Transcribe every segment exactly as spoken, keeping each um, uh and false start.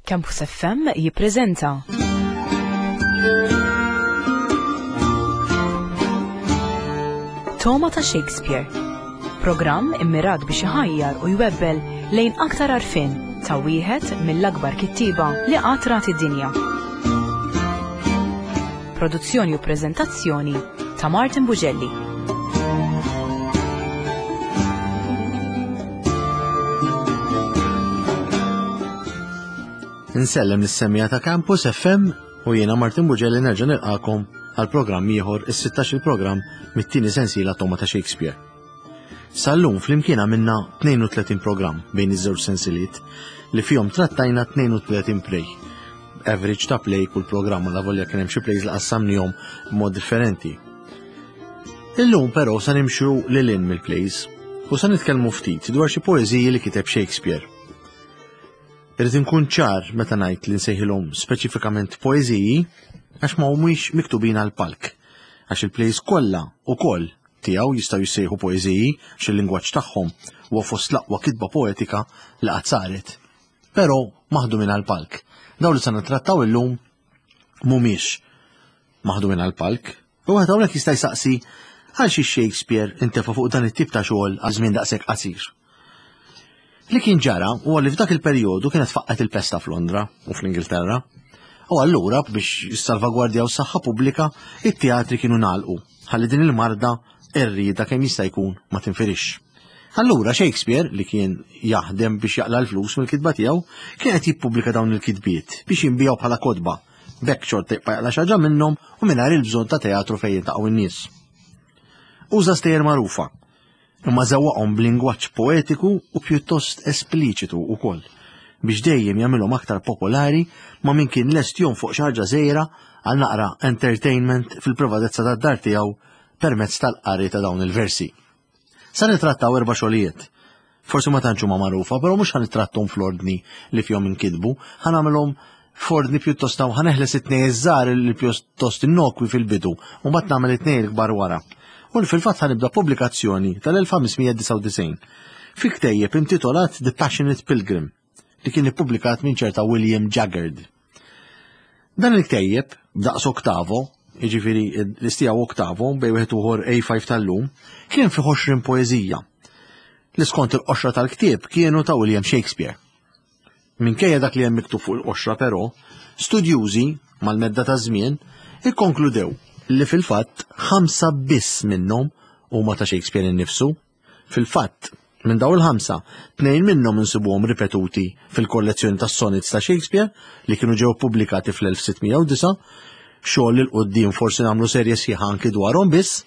Campus F M jippreżenta Toma ta' Shakespeare, programm immirat biex iħajjar u jwebbel lejn aktar għarfien ta' wieħed mill-akbar kittieba li qatt rat id-dinja. Produzzjoni u preżentazzjoni ta' Martin Bugelli. Insellem lis-semmiegħa ta' Campus F M u jiena Martin Bugelli nerġa' nilqakom għal programm ieħor, is-sittax il-programm mit-tieni sensiela Toma ta' Shakespeare. Sal-lum flimkien għamilna tnejn u tletin programm bejn iż-żewġ sensiliet li fihom trattajna tnejn u tletin play. Average ta' play kull programm, la volja kien hemm xi plays li qassamnihom b'mod differenti. Illum però sa nimxu lil hinn mill-plays u sa nitkellmu ftit dwar xi poeżiji li kiteb Shakespeare. Irrid inkun ċar meta ngħid li nsejħilhom speċifikament poeżiji għax ma humiex miktubin għal palk, għax il-plays kollha ukoll tiegħu jistgħu jissejħu poeżiji għax il-lingwaġġ tagħhom huwa fost l-aqwa kitba poetika li qatt saret. Però maħdumin għal palk. Dawn li se nittrattaw illum mhumiex maħdumin għal palk. U wieħed hawnhekk jista' jsaqsi għal xi Shakespeare intefa' fuq dan it-tip ta' xogħol għal żmien daqshekk qasir. Li kien ġara huwa li f'dak il-perjodu kienet faqqet il-pesta f'Londra u fl-Ingilterra. U allura biex jissalvagwardjaw s-saħħa pubblika, it-teatri kienu nagħlqu ħalli din il-marda rrieda kemm jista' jkun ma tinfirix. Allura Shakespeare, li kien jaħdem biex jaqla' l-flus mill-kitba tiegħu, kien qed jippubblika dawn il-kitbiet biex jinbiegħu bħala kotba. B'hekk xorta jibqa' jaqla' xi ħaġa minnhom u mingħajr il-bżonn ta' teatru fejn jiltaqgħu n-nies. Uża stejjer magħrufa, imma żewwaqhom b'lingwaġġ poetiku u pjuttost espliċitu wkoll, biex dejjem jagħmilhom aktar popolari ma' min kien lest jonfoq xi ħaġa żgħira għal naqra entertainment fil-privatezza tad-dar tiegħu permezz tal-qari ta' dawn il-versi. Sa nittrattaw erba' xogħlijiet. Forsi ma tantx huma magħrufa, però mhux ħanitrattom fl-ordni li fihom inkitbu, ħanagħmilhom f'ordni pjuttost hawn, ħaneħles it-tnejn iż-żgħar li pjuttost innokwi fil-bidu u mbagħad nagħmel it-tnejn il-kbar wara. U fil-fatt ħanibda pubblikazzjoni tal-elf ħamesmija disgħa u disgħin fi ktejjeb intitolat The Passionate Pilgrim li kien ippubblikat minn ċerta William Jaggard. Dan il-ktejjeb b'daqs oktavo, jiġifieri l-istiegħu oktavo bejn wieħed u ieħor A five tal-lum, kien fih għoxrin poeżija li skont il-qoxra tal-ktieb kienu ta' William Shakespeare. Minkejja dak li hemm miktub fuq il-qoxra però, studjużi mal-medda ta' żmien ikkonkludew li fil-fatt ħamsa biss minnhom huma ta' Shakespeare innifsu. Fil-fatt, minn dawn il-ħamsa, tnejn minnhom insibuhom ripetuti fil-kollezzjoni tas sonnets ta' Shakespeare li kienu ġew pubblikati fl-elf sittmija u disgħa, xogħol li l-quddiem forsi nagħmlu serje sħiħa anki dwarhom biss,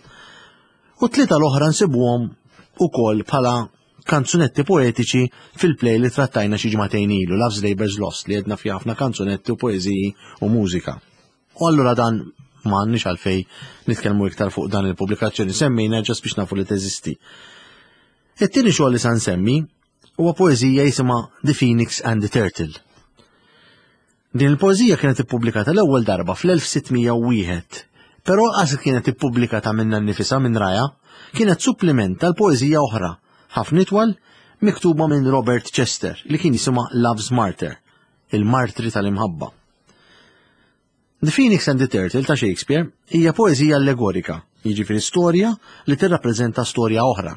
u tlieta l-oħra nsibuhom ukoll bħala kanzunetti poetiċi fil-play li trattajna xi ġimagħtejn ilu, Love's Labour's Lost, li għedna fiha ħafna kanzunetti u poeżiji u mużika. U allura dan ma għandniex għalfej nitkellmu iktar fuq dan il-pubblikazzjoni, semmejna ġast biex nafu li teżisti. It-tieni xogħol li sa nsemmi huwa poeżija jisimha The Phoenix and the Turtle. Din il-poeżija kienet ippubblikata l-ewwel darba fl-elf sittmija u wieħed, però qas kienet ippubblikata minnha nnifisha minn raja, kienet suppliment tal-poeżija oħra, ħafna itwal, miktuba minn Robert Chester li kien jisimha Love's Martyr, il-martri tal-imħabba. The Phoenix and the Turtle ta' Shakespeare hija poeżija allegorika, jiġifieri storja li tirrappreżenta storja oħra.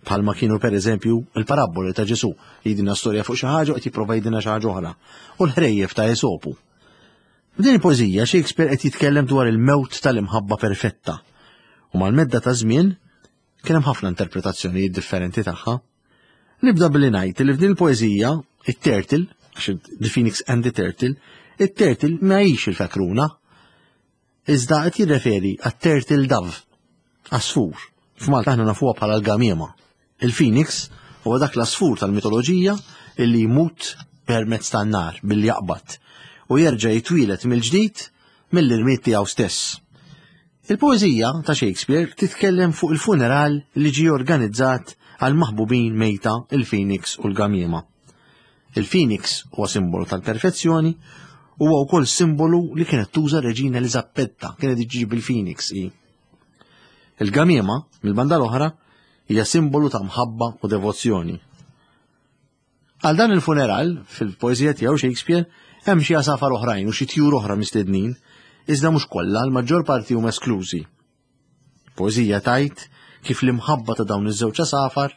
Bħalma kienu per eżempju il-parabboli ta' Ġesù, li jgħidilna storja fuq xi ħaġa u qed jipprova jgħidilna xi ħaġa oħra, u l-ħrejjef ta' Esopu. F'din il-poeżija Shakespeare qed jitkellem dwar il-mewt tal-imħabba perfetta, u mal-medda ta' żmien kien hemm ħafna interpretazzjonijiet differenti tagħha. Nibda billi ngħid li f'din il-poeżija it-turtle, għax The Phoenix and the Turtle, it-turtle ma hijiex il-fekruna, iżda qed jirreferi għat-turtle dove, għasfur. F'Malta aħna nafuha bħala l-gamiema. Il-Phoenix huwa dak l-għasfur tal-mitoloġija illi jmut permezz tan-nar billi jaqbad u jerġa' jitwielet mill-ġdid mill-irmied tiegħu stess. Il-poeżija ta' Shakespeare titkellem fuq il-funeral li ġie organizzat għal maħbubin mejta il-Phoenix u l-Gamiema. Il-Phoenix huwa simbolu tal-perfezzjoni, huwa wkoll simbolu li kienet tuża Reġina Eliżabetta, kienet iġġib il-Phoenix hi. Il-Gamiema, mill-banda l-oħra, hija simbolu ta' mħabba u devozzjoni. Għal dan il-funeral, fil-poeżija tiegħu Shakespeare, hemm xi għasafar oħrajn u xi tjur oħra mistednin, iżda mhux kollha, l-maġġor parti huma esklużi. Poeżija tgħid kif l-imħabba ta' dawn iż-żewġ għasafar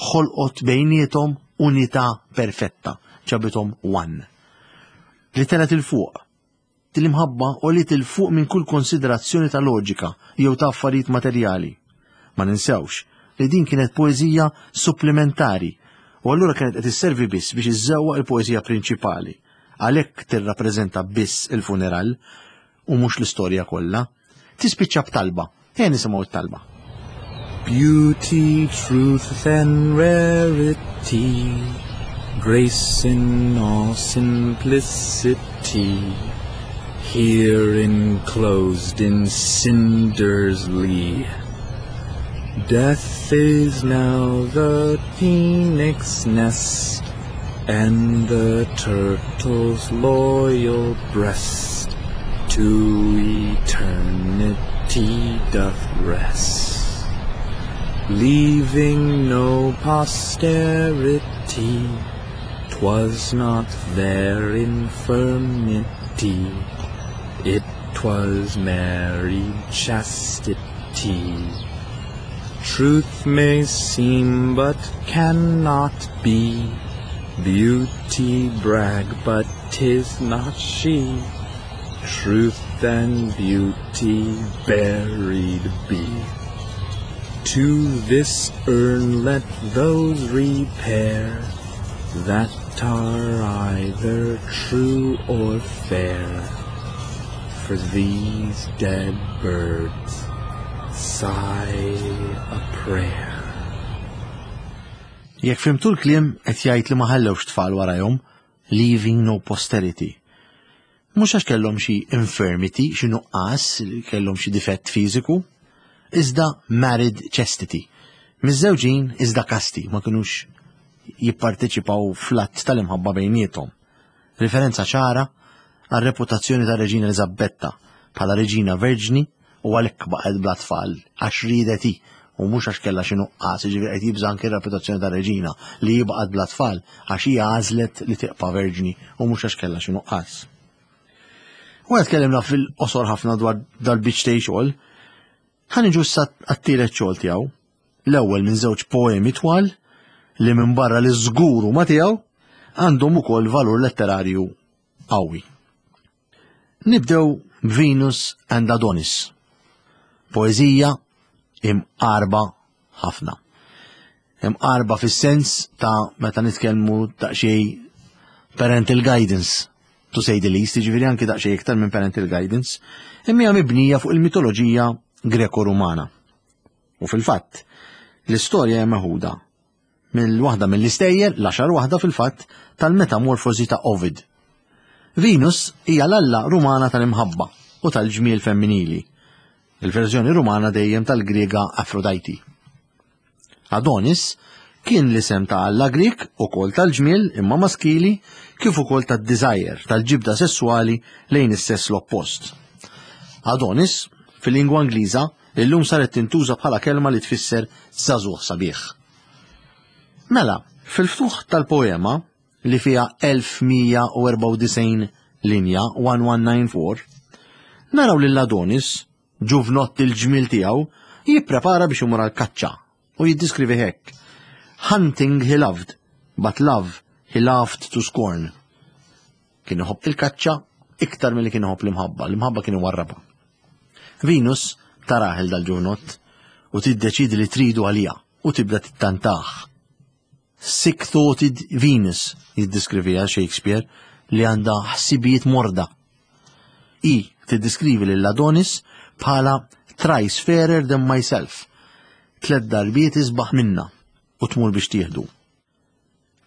ħolqot bejniethom unità perfetta, ġabithom one. Li telgħet 'il fuq. Din l-imħabba għoliet 'il fuq minn kull konsiderazzjoni ta' loġika jew ta' affarijiet materjali. Ma ninsewx li din kienet poeżija supplementari u allura kienet qed isservi biss biex iżżewwaq il-poeżija prinċipali. Għalhekk tirrappreżenta biss il-funeral u mhux l-istorja kollha. Tispiċċa b'talba. Ejja nisimgħu t-talba. Beauty, truth, and rarity, grace in all simplicity, here enclosed in cinders lie. Death is now the phoenix nest, and the turtle's loyal breast to eternity doth rest, leaving no posterity. 'Twas not their infirmity, it 'twas married chastity. Truth may seem but cannot be, beauty brag but 'tis not she. Truth and beauty buried be. To this urn let those repair that are either true or fair. For these dead birds sigh a prayer. Jekk fhimtu l-kliem, qed jgħid li ma ħallewx tfal warajhom, leaving no posterity. Mhux għax kellhom xi infirmity, xi nuqqas, kellhom xi difett fiżiku, iżda married chastity. Miżżewġin iżda kasti, ma kinux jipparteċipaw fl-att tal-imħabba bejniethom. Referenza ċara għal reputazzjoni ta' Reġina Elizabetta bħala reġina verġni u għalhekk baqgħet bla tfal għax riedet hi u mhux għax kellha xi nuqqas, jiġifieri qed jibża anke r-reputazzjoni ta' reġina li hi baqgħet bla tfal għax hija għażlet li tibqa' verġni u mhux għax kellha xi nuqqas. U qed tkellimna fil-qosor ħafna dwar dal-biċċtejn xogħol, ħa niġu issa għat-tielet xogħol tiegħu. L-ewwel minn żewġ poemi twal li minn barra li żgur huma tiegħu għandhom ukoll valur letterarju qawwi. Nibdew Venus and Adonis. Poeżija imqarba ħafna. Imqarba fis-sens ta' meta nitkellmu daqsxejn parental guidance, to say the least, jiġifieri anki daqsxejn iktar minn parental guidance, imma hija mibnija fuq il-mitoloġija Greko-Rumana. U fil-fatt, l-istorja hija meħuda mill waħda mill-istejjer, l-għaxar waħda fil-fatt, tal-metamorfosi ta' Ovid. Venus hija l-alla Rumana tal-imħabba u tal-ġmiel femminili. Il-verżjoni Rumana dejjem tal-Griega Afrodite. Adonis kien l-isem ta' alla Grieg ukoll tal-ġmiel imma maskili kif ukoll tad-desire, tal-ġibda sessuali lejn is-sess l-oppost. Adonis, fil-lingwa Ingliża, illum saret tintuża bħala kelma li tfisser żagħżugħ sabiħ. Mela, fil-ftuħ tal-poema li fiha elf u mija u erbgħa u disgħin linja, elf u mija u erbgħa u disgħin, naraw lil Adonis, ġuvnott il-ġmil tiegħu, jipprepara biex imur għal-kaċċa u jiddiskrivi hekk: "Hunting he loved, but love he laughed to scorn." Kien iħobb il-kaċċa iktar milli kien iħobb l-imħabba, l-imħabba kien iwarrabha. Venus tarah 'il dal-ġuvnott u tiddeċidi li tridu għalija u tibda tittantah. Sick-thoughted Venus, jiddiskriviha Shakespeare, li għandha ħsibijiet morda. Hi tiddiskrivi lil Adonis bħala "thrice fairer than myself", tlet darbiet isbaħ minna, u tmur biex tieħdu.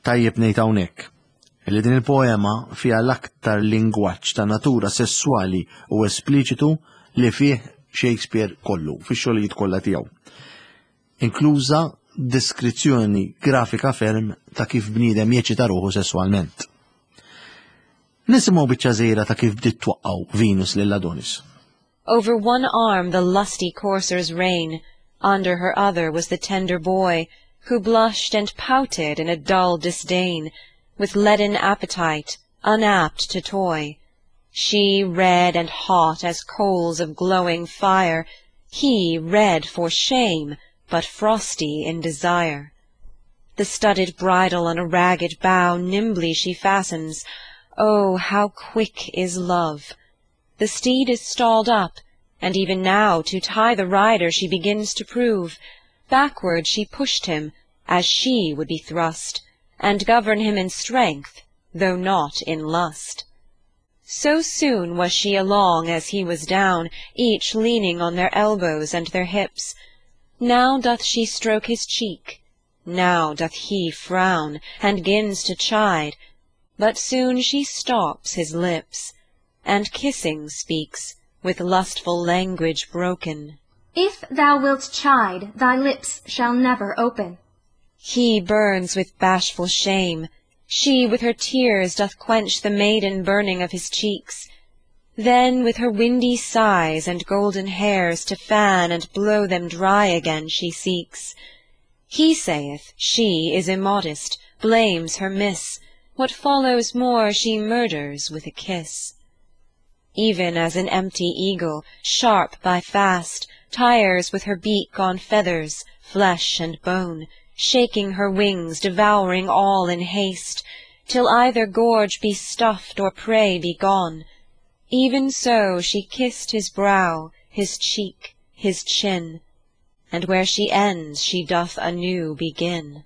Tajjeb ngħid hawnhekk li din il-poema fiha l-aktar lingwaġġ ta' natura sessuali u espliċitu li fih Shakespeare kollu, fix-xogħlijiet kollha tiegħu. Inkluża deskrizzjoni grafika ferm ta' kif bniedem jeċita ruħu sessualment. Nisimgħu biċċa żgħira ta' kif bdiet twaqqgħu Venus lil Adonis. Over one arm the lusty courser's rein, under her other was the tender boy, who blushed and pouted in a dull disdain. With leaden appetite, unapt to toy. She red and hot as coals of glowing fire, He red for shame, but frosty in desire. The studded bridle on a ragged bough Nimbly she fastens. Oh, how quick is love! The steed is stalled up, and even now To tie the rider she begins to prove. Backward she pushed him, as she would be thrust, And govern him in strength, though not in lust. So soon was she along as he was down, Each leaning on their elbows and their hips. Now doth she stroke his cheek, now doth he frown, And gins to chide, but soon she stops his lips, And kissing speaks, with lustful language broken. If thou wilt chide, thy lips shall never open. He burns with bashful shame, she with her tears doth quench the maiden burning of his cheeks. Then with her windy sighs and golden hairs To fan and blow them dry again she seeks. He saith she is immodest, blames her miss, What follows more she murders with a kiss. Even as an empty eagle, sharp by fast, Tires with her beak on feathers, flesh and bone, Shaking her wings, devouring all in haste, Till either gorge be stuffed or prey be gone. Even so she kissed his brow, his cheek, his chin, And where she ends she doth anew begin.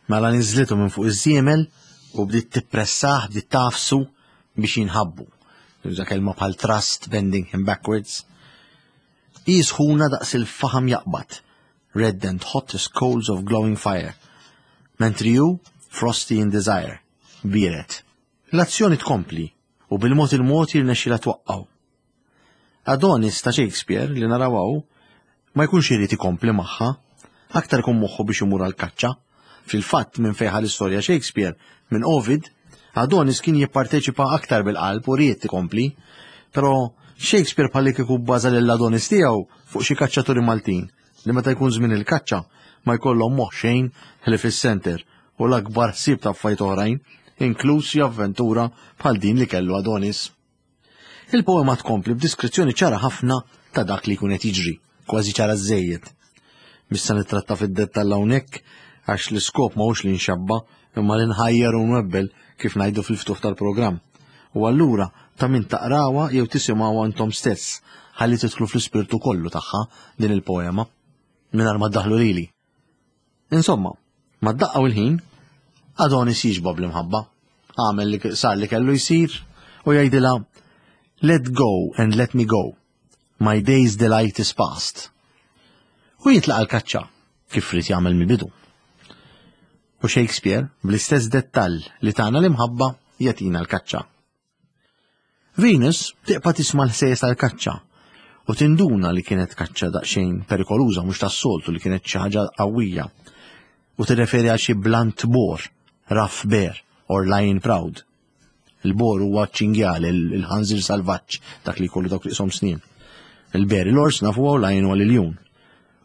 Mela niżlitu minn fuq iż-żiemel u bdiet tippressah, bdiet tagħfsu biex jinħabbu. Juża kelma bħal thrust, bending him backwards. Hi sħuna daqs il-faħam jaqbad, red and hot as coals of glowing fire. Mentri hu, frosty in desire, biered. L-azzjoni tkompli u bil-mod il-mod jirnexxilha twaqqgħu. Adonis ta' Shakespeare li naraw hawn ma jkunx irid ikompli magħha, aktar ikun moħħu biex imur għal-kaċċa. Fil-fatt minn fejn ħa l-istorja Shakespeare minn Ovid, Adonis kien jipparteċipa aktar bil-qalb u ried ikompli, però Shakespeare bħalli kieku bbaża lil Adonis tiegħu fuq xi kaċċaturi Maltin li meta jkun żmien il-kaċċa ma jkollhom moħħ xejn ħlief is-senter u l-akbar ħsieb ta' affarijiet oħrajn, inkluż xi avventura bħal din li kellu Adonis. Il-poema tkompli b'diskrizzjoni ċara ħafna ta' dak li jkun qed jiġri, kważi ċara żejjed. Mhux se nittratta fid-dettall hawnhekk għax l-iskop ma hux li nxabba imma li nħajjar u nwebbel kif ngħidu fil-ftuħ tal-programm. U allura ta' min taqrawha jew tisimgħuha intom stess ħalli tidħlu fl-ispirtu kollu tagħha din il-poema mingħajr ma ddaħlu lili. Insomma, mad-daqqa u l-ħin, Adonis jixba' bl-imħabba. Għamel li sar li kellu jsir u jgħidilha Let go and let me go. My day's delight is past. U jitlaq għal-kaċċa kif ried jagħmel mill-bidu. U Shakespeare, bl-istess dettall li tana l-imħabba, jagħtina l-kaċċa. Venus tibqa' tisma' l-ħsejjes tal-kaċċa u tinduna li kienet kaċċa daqsxejn perikoluża mhux tas-soltu li kienet xi ħaġa qawwija u tirreferi għal xi blunt boar, rough bear or lion proud. Il-boar huwa ċingjal, il-ħanżir salvaġġ, dak li jkollu dawk li qishom snien. Il-bear l-ors nafu u lion huwa l-iljun.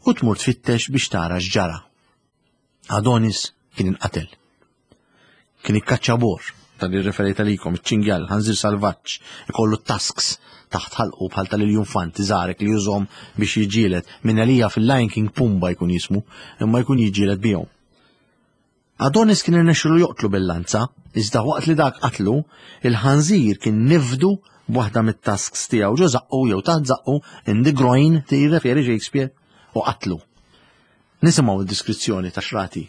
U tmur tfittex biex tara x'ġara. Adonis kien inqatel. Kien ikkaċċa boar, tal li referejt għalikom, iċ-ċingjal, ħanżir salvaġġ, ikollu tusks taħt ħalqu bħal tal-iljunfant żgħar li jużahom biex jiġġieled. Minn għalija fil-Lion King Pumba jkun jismu, imma jkun jiġġieled bihom. Adonis kien irnexxilu joqtlu bil-lanza, iżda waqt li dak qatlu, il-ħanżir kien nifdu b'waħda mit-tusks tiegħu ġo żaqqu jew taħt żaqqu in the groin tirreferi Shakespeare u qatlu. Nisimgħu d-diskrizzjoni ta' xrati.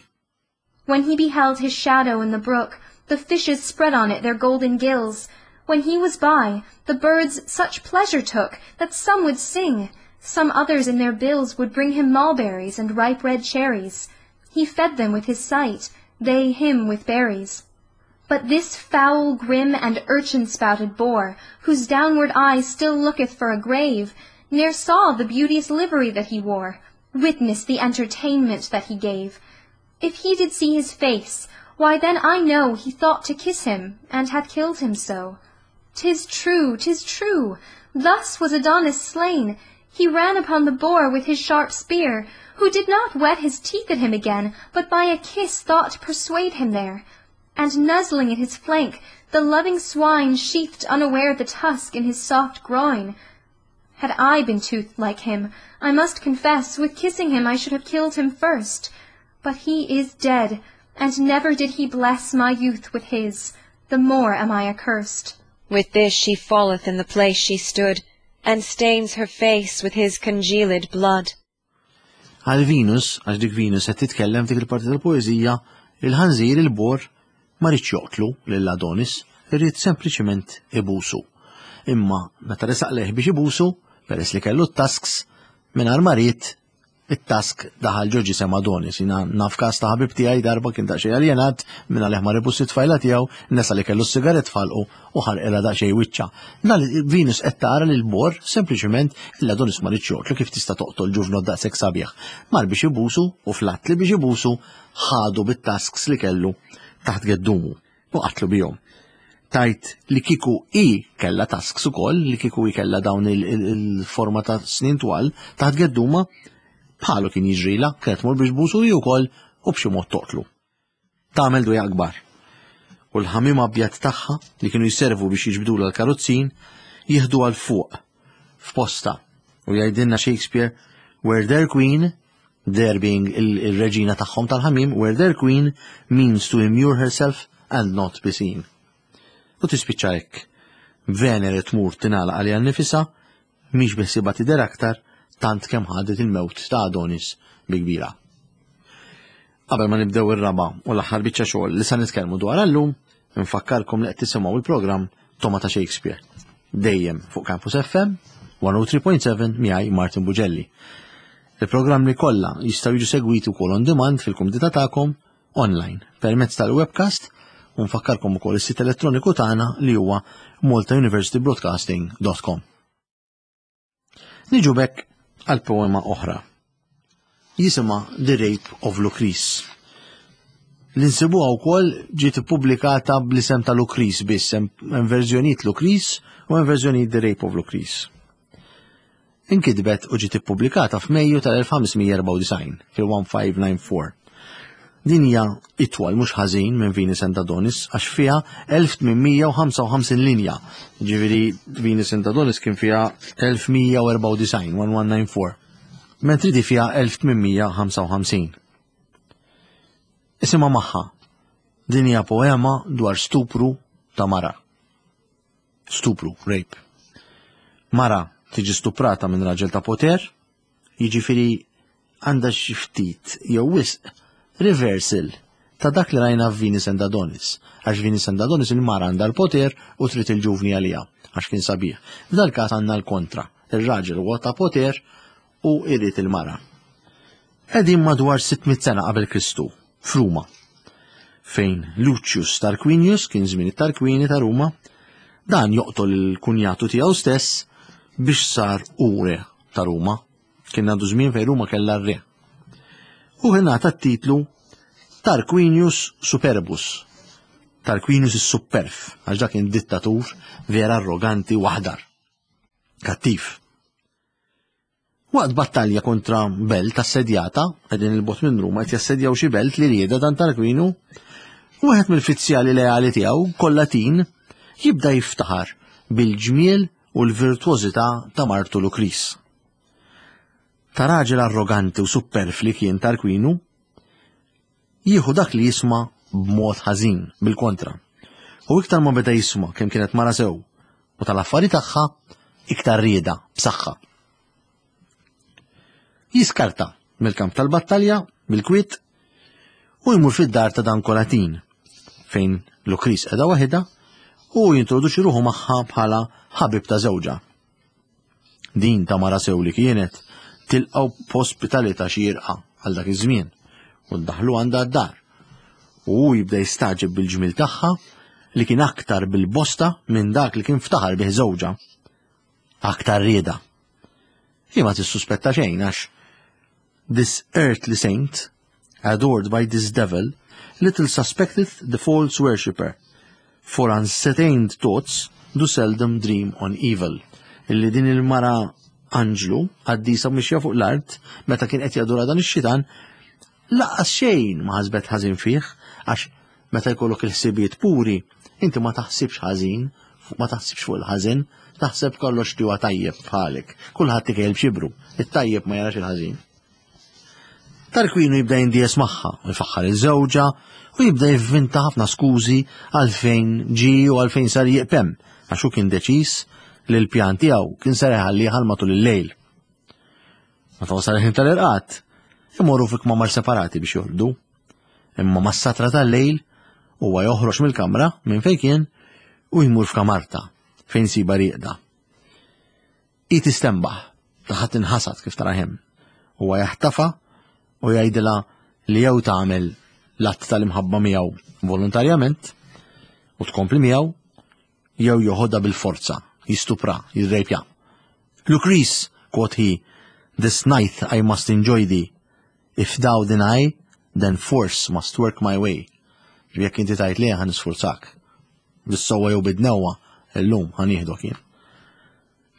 When he beheld his shadow in the brook, the fishes spread on it their golden gills. When he was by, the birds such pleasure took, that some would sing, some others in their bills would bring him mulberries and ripe red cherries. He fed them with his sight, they him with berries. But this foul, grim, and urchin-spouted boar, whose downward eye still looketh for a grave, ne'er saw the beauteous livery that he wore, witness the entertainment that he gave. If he did see his face, why then I know he thought to kiss him, and hath killed him so. 'Tis true, 'tis true, thus was Adonis slain. He ran upon the boar with his sharp spear, who did not whet his teeth at him again, but by a kiss thought persuade him there. And nuzzling at his flank, the loving swine sheathed unaware the tusk in his soft groin. Had I been toothed like him, I must confess, with kissing him I should have killed him first. But he is dead, and never did he bless my youth with his. The more am I accursed. With this she falleth in the place she stood, and stains her face with his congealed blood. Għal Venus, għax dik Venus qed titkellem dik il-parti tal-poeżija, il-ħanżir il-bor ma riedx joqtlu lil Adonis, irid sempliċiment ibusu. Imma meta resaq lejh biex ibusu, peress li kellu t-tusks, mingħajr ma ried it-tusk daħal ġo ġisem Adonis. Jiena naf każ ta' ħabib tiegħi darba kien daqsxejn aljenat minn għalih mar ibus it-tfajla tiegħu, nesa li kellu s-sigaret f'ħalqu u ħarqilha daqsxejn wiċċha. Dan Venus qed tara li l-bor sempliċement l-Adonis ma riedx joqtlu kif tista' toqtol ġuvnot daqshekk sabiħ. Mar biex ibusu u fl-att li biex ibusu ħadu bit-tusks li kellu taħt geddumu u qatlu bihom. Tajt li kiku i kella tusks ukoll, li kiku i kella dawn il-forma ta' snin twal taħt gedduma, bħalu kien jiġrila, kienet mur biex busu hi wkoll u b'xi mod toqtlu. Tagħmel dwejjaq akbar. U l-ħamiem abjad tagħha li kienu jservu biex jiġbdula l-karozzin jieħdu għal fuq f'posta. U jgħidilna Shakespeare, where their queen, there being il-reġina tagħhom tal-ħamiem, where their queen means to immure herself and not be seen. U tispiċċa hekk. Venere tmur tingħalaq għaliha nnifisha, mhix beħsiebha tidher aktar tant kemm ħadet il-mewt ta' Adonis bi kbira. Qabel ma nibdew ir-raba' u l-aħħar biċċa xogħol li sa nitkellmu dwar llum, nfakkarkom li qed tisimgħu il-programm Togħma ta' Shakespeare. Dejjem fuq Campus F M one oh three point seven miegħi Martin Bugelli. Il-programmi kollha jistgħu jiġu segwiti wkoll on demand fil-kumdità tagħkom online permezz tal-webcast u nfakkarkom ukoll is-sit elettroniku tagħna li huwa maltauniversitybroadcasting dot com. Niġu b'hekk għal poema oħra. Jisimha The Rape of Lucrece. L-insibuha wkoll ġiet ippubblikata bl-isem ta' Lucrece biss, hemm verżjonijiet Lucrece u hemm verżjonijiet The Rape of Lucrece. Inkitbet u ġiet ippubblikata f'Mejju tal-elf ħames mija erbgħa u disgħin fil-elf ħames mija erba' u disgħin. Din hija itwal mhux ħażin minn Venus and Adonis għax fiha elf tmien mija ħamsa u ħamsin linja. Ġifieri Venus and Adonis kien fiha elf mija erbgħa u disgħin, elf mija tnajn erba'. Mentri di fiha elf tmien mija ħamsa u ħamsin. Isimha magħha. Din hija poema dwar stupru ta' mara. Stupru, rape. Mara tiġi stuprata minn raġel ta' poter, jiġifieri għandha xi ftit jew wisq reversal ta' dak li rajna f'Venus and Adonis. Għax Venus and Adonis il-mara għandha l-poter u trid il-ġuvni għalija, għax kien sabiħ. F'dal każ għandna l-kontra. Ir-raġel huwa ta' poter u irid il-mara. Qegħdin madwar sitt mitt sena qabel Kristu, f'Ruma, fejn Lucius Tarquinius kien żmien it-Tarquini ta' Ruma, dan joqtol il-kunjatu tiegħu stess biex sar u re ta' Ruma. Kien għandu żmien fejn Ruma kellha r-re. U ngħata t-titlu Tarquinius Superbus. Tarquinius is-Superf, għax dak kien dittatur vera arroganti u aħdar. Kattiv. Waqt battalja kontra belt assedjata, qegħdin 'il bogħod minn Ruma qed jassedjaw xi belt li rieda dan Tarquinu, wieħed mill-fizzjali leali tiegħu, Kollatin, jibda jiftaħar bil-ġmiel u l-virtuożità ta' martu Lucrece. Ta' raġel arroganti u superf li kien Tarquinu, jieħu dak li jisma' b'mod ħażin, bil-kontra. U iktar ma beda jisma' kemm kienet mara sew u tal-affari tagħha iktar rieda b'saħħa. Jiskarta mill-kamp tal-battalja bil-kwiet u jmur fid-dar ta' dan Kolatin fejn Lucrece qiegħda waħedha u jintroduċi ruħu magħha bħala ħabib ta' żewġha. Din ta' mara sew li kienet tilqgħu b'ospitalità xierqa għal dak iż-żmien u ddaħlu għandha d-dar. U hu jibda jistaġib bil-ġmil tagħha li kien aktar bil-bosta minn dak li kien ftaħar bih żewġha. Aktar rieda. Hi ma tissuspetta xejn għax this earthly saint, adored by this devil, little suspected the false worshipper, for unstained thoughts do seldom dream on evil. Illi din il-mara anġlu, qaddisa mixja fuq l-art, meta kien qed jadura dan ix-xitan, lanqas xejn ma ħasbet ħażin fih, għax Meta jkollok il-ħsibijiet puri, inti ma taħsibx ħażin, ma taħsibx fuq il-ħażin, taħseb kollox li huwa tajjeb bħalek. Kulħadd ikejjel b'xibru, it-tajjeb ma jarax il-ħażin. Tarkwinu jibda jindies magħha, jfaħħar iż-żewġa u jibda jivvinta ħafna skużi għalfejn ġi u għalfejn sar jiqpem, għax hu kien deċiż li l-pjan tiegħu kien sar iħalli matul il-lejl. Meta wasal il-ħin tal-irqad, imorru fi kmamar separati biex jorqdu. Imma mas-satra tal-lejl huwa joħroġ mill-kamra minn fejn kien u jmur f'kamarta fejn siba rieqda. Hi tistenbaħ, taħat inħasad kif tara hemm. Huwa jaħtafa u jgħidilha li jew tagħmel l-att tal-imħabba miegħu volontarjament u tkompli miegħu jew joħodha bil-forza, jistupra, jirrejpja. Lucrece, quoth he, this night I must enjoy thee. If thou deny, then force must work my way. Jekk inti tgħid le ħa nisfurzak. Bis-sewwa jew bid-dnewwa, illum ħa nieħdok jien.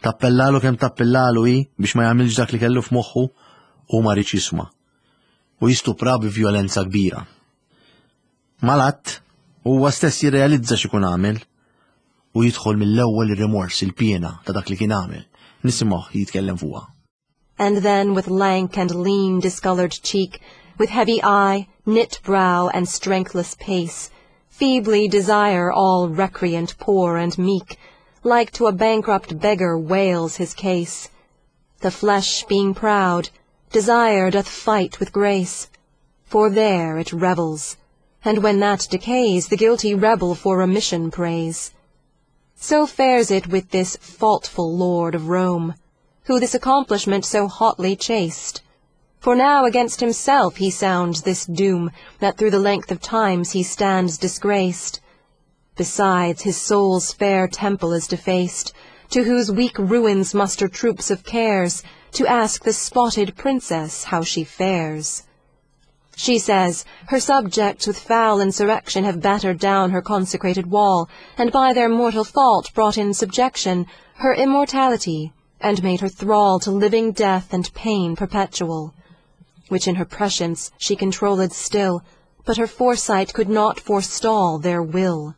Tappellalu kemm tappellalu hi biex ma jagħmilx dak li kellu f'moħħu u ma riedx jisma'. U jistupra bi vjolenza kbira. Mal-att, huwa stess jirrealizza x'ikun għamel u jidħol mill-ewwel ir-rimors, il-piena ta' dak li kien għamel. Nisimgħu jitkellem fuqha. And then with lank and lean discolored cheek, with heavy eye, knit brow, and strengthless pace, feebly desire all recreant poor and meek, like to a bankrupt beggar wails his case. The flesh being proud, desire doth fight with grace, for there it revels, and when that decays, the guilty rebel for remission prays. So fares it with this faultful lord of Rome, who this accomplishment so hotly chased. For now against himself he sounds this doom, that through the length of times he stands disgraced. Besides, his soul's fair temple is defaced, to whose weak ruins muster troops of cares, to ask the spotted princess how she fares. She says, her subjects with foul insurrection have battered down her consecrated wall, and by their mortal fault brought in subjection her immortality, and made her thrall to living death and pain perpetual, which in her prescience she controlled still, but her foresight could not forestall their will.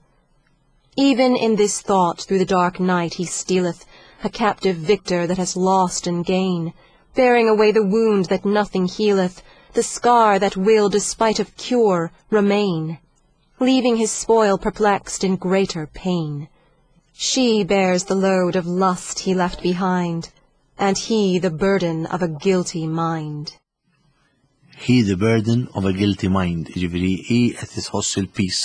Even in this thought through the dark night he stealeth, a captive victor that has lost in gain, bearing away the wound that nothing healeth, the scar that will, despite of cure, remain, leaving his spoil perplexed in greater pain. She bears the load of lust he left behind, and he the burden of a guilty mind. He the burden of a guilty mind, ġifieri hi qed tħoss il-piż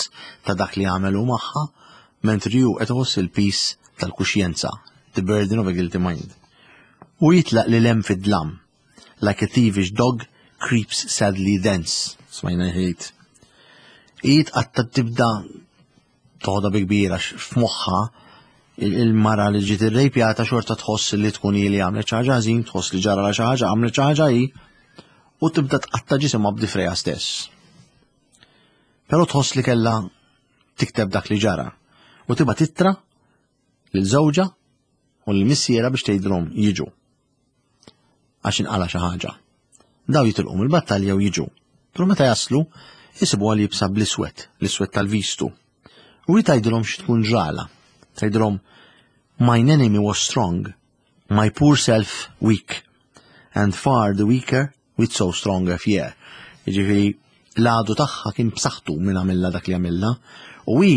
ta' dak li għamelu magħha, mentri hu qed iħoss il-piż tal-kuxjenza, the burden of a guilty mind. U jitlaq lil hemm fid-dlam, like a thievish dog creeps sadly thence, smajna jgħid. Hi tqatta tibda toħodha bi kbira f'moħħa il-mara li ġiet irrejpjata xorta tħoss li tkun hi li għamlet xi ħaġa ħażin, tħoss li ġara xi ħaġa, għamlet xi ħaġa hi, u tibda tqatta ġisimha b'difrejha stess. Però tħoss li kellha tikteb dak li ġara u tibgħat ittra lil żewġha u lil missiera biex tgħidilhom jiġu. Għax inqala xi ħaġa. Daw jitilqu mill-battalja u jiġu. Però meta jaslu, jisibu liebsa bl-iswed, l-iswed tal-vistu. U tgħidilhom xi tkun ġrala. Tgħidilhom, mine enemy was strong, my poor self weak, and far the weaker with so strong a fear. Jiġifieri l-għadu tagħha kien b'saħħtu minn għamilla dak li għamilla, u hi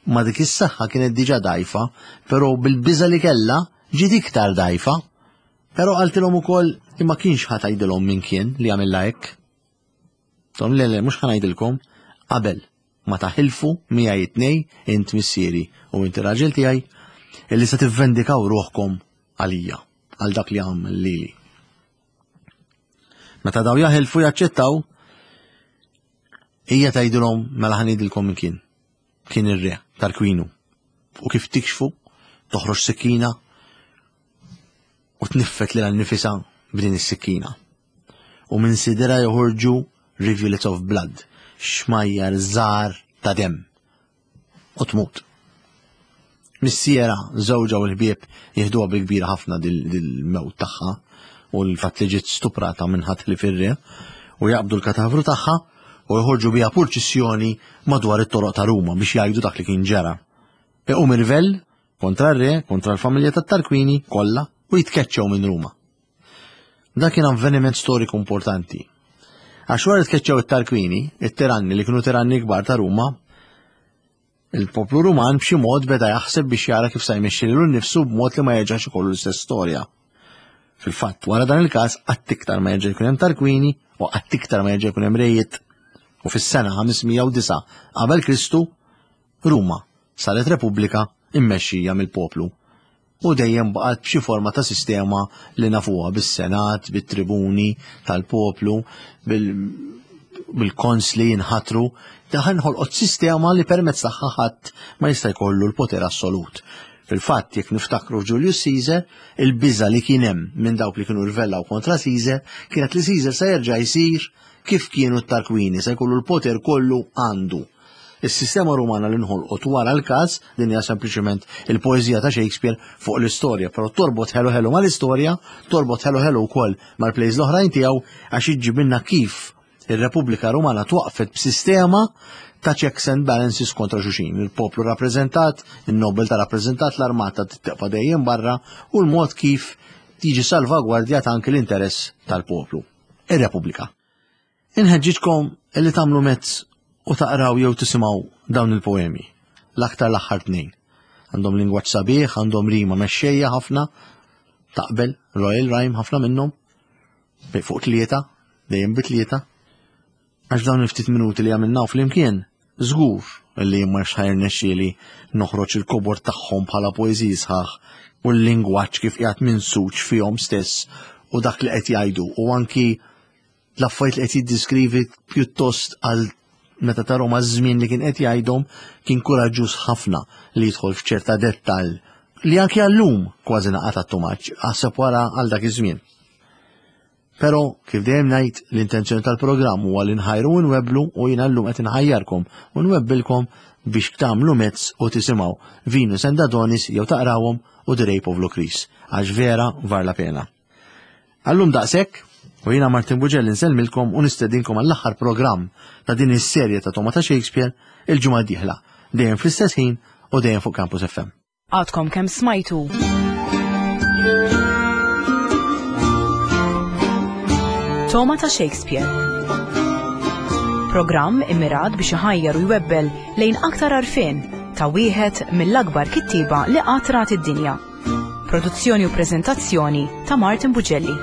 ma dik is-saħħa kienet diġà dajfa, però bil-biża li kellha ġiet iktar dajfa. Però qaltilhom ukoll li ma kienx ħa tgħidilhom min kien li għamilla hekk. Tom le le mhux ħa ngħidilkom qabel ma taħilfu miegħi it-tnejn int missieri u inti raġel tiegħi illi se tivvendikaw ruħkom għalija għal dak li għamel lili. Meta daw jaħilfu jaċċettaw, hija tgħidilhom mela ħa ngħidilkom min kien. Kien ir-re Tarkwinu. U kif tikxfu, toħroġ sikkina u tniffet lilha nnifisha b'din is-sikkina. U minn sidra joħorġu rivulets of blood, xmajjar żgħar ta' dem. U tmut. Missiera, żewġha u l-ħbieb jieħduha bi kbira ħafna dil-mewt tagħha u l-fatt li ġiet stuprata minn ħadd ħlief ir-re u jaqbdu l-katavru tagħha u jħorġu biha purċissjoni madwar it-toroq ta' Ruma biex jgħidu dak li kien ġara. Iqum irvell kontra r-re, kontra l-familja tat-Tarquini kollha u jitkeċċew minn Ruma. Dak kien avveniment storiku importanti. Għax wara tkeċċew it-Tarquini, it-tiranni li kienu tiranni kbar ta' Ruma, il-poplu Ruman b'xi mod beda jaħseb biex jara kif sa jmexxi lilu nnifsu b'mod li ma jerġax ikollu l-istess storja. Fil-fatt, wara dan il-każ qatt iktar ma jerġa' jkun hemm Tarquini u qatt iktar ma jerġa' jkun hemm rejiet. U fis-sena ħames mija u disgħa qabel Kristu, Ruma saret repubblika immexxija mill-poplu. U dejjem baqgħet b'xi forma ta' sistema li nafuha bis-senat, bit-tribuni tal-poplu, bil-konsli jinħatru, daħan ħolqot sistema li permezz tagħha ħadd ma jista' jkollu l-poter assolut. Fil-fatt, jekk niftakru Julius Caesar, il-biża li kien hemm minn dawk li kienu rvellaw kontra Caesar kienet li Caesar se jerġa' jsir kif kienu t-Tarquini, se jkollu l-poter kollu għandu. Is-sistema Rumana li nħolqot wara l-każ, din hija sempliċement il-poeżija ta' Shakespeare fuq l-istorja, però torbot ħelu ħelu mal-istorja, torbot ħelu ħelu wkoll mal-plays l-oħrajn tiegħu għax iġġibilna kif ir-Repubblika Rumana twaqfet b'sistema ta' checks and balances kontra xulxin. Il-poplu rappreżentat, il-nobiltà rappreżentat, l-armata tibqa' dejjem barra u l-mod kif tiġi salvagwardjat anki l-interess tal-poplu. Ir-Repubblika. Inħeġġiġkom li tagħmlu mezz u taqraw jew tisimgħu dawn il-poemi. L-aktar l-aħħar tnejn. Għandhom lingwaġġ sabiħ, għandhom rima mexxejja ħafna, taqbel, royal rhyme ħafna minnhom, fuq tlieta, dejjem bi tlieta. Għax dawn il-ftit minuti li għamilnaw flimkien, żgur li ma ħa jirnexxieli noħroġ il-kobor tagħhom bħala poeżiji sħaħ u l-lingwaġġ kif qiegħed minsuġ fihom stess u dak li qed jgħidu u anki l-affarijiet li qed jiddiskrivi pjuttost għal meta ta' Roma żmien li kien qed jgħidhom, kien kuraġġuż ħafna li jidħol f'ċerta dettall li anki għallum kważi naqata too much, aħseb wara għal dak iż-żmien. Però, kif dejjem ngħid, l-intenzjoni tal-programm huwa li nħajru u nwebblu u jiena llum qed inħajjarkom u nwebbilkom biex tagħmlu mezz u tisimgħu Venus and Adonis jew taqrawhom u The Rape of Lucrece, għax vera var la pena. Għallum daqshekk, u jiena Martin Bugelli nsellmilkom u nistedinkom għall-aħħar programm ta' din is-serje ta' Togħma ta' Shakespeare il-ġimgħa d-dieħla, dejjem fl-istess ħin u dejjem fuq Campus F M. Għadkom kemm smajtu Togħma ta' Shakespeare. Programm immirat biex iħajjar u jwebbel lejn aktar għarfien ta' wieħed mill-akbar kittiba li qatt rat id-dinja. Produzzjoni u preżentazzjoni ta' Martin Bugelli.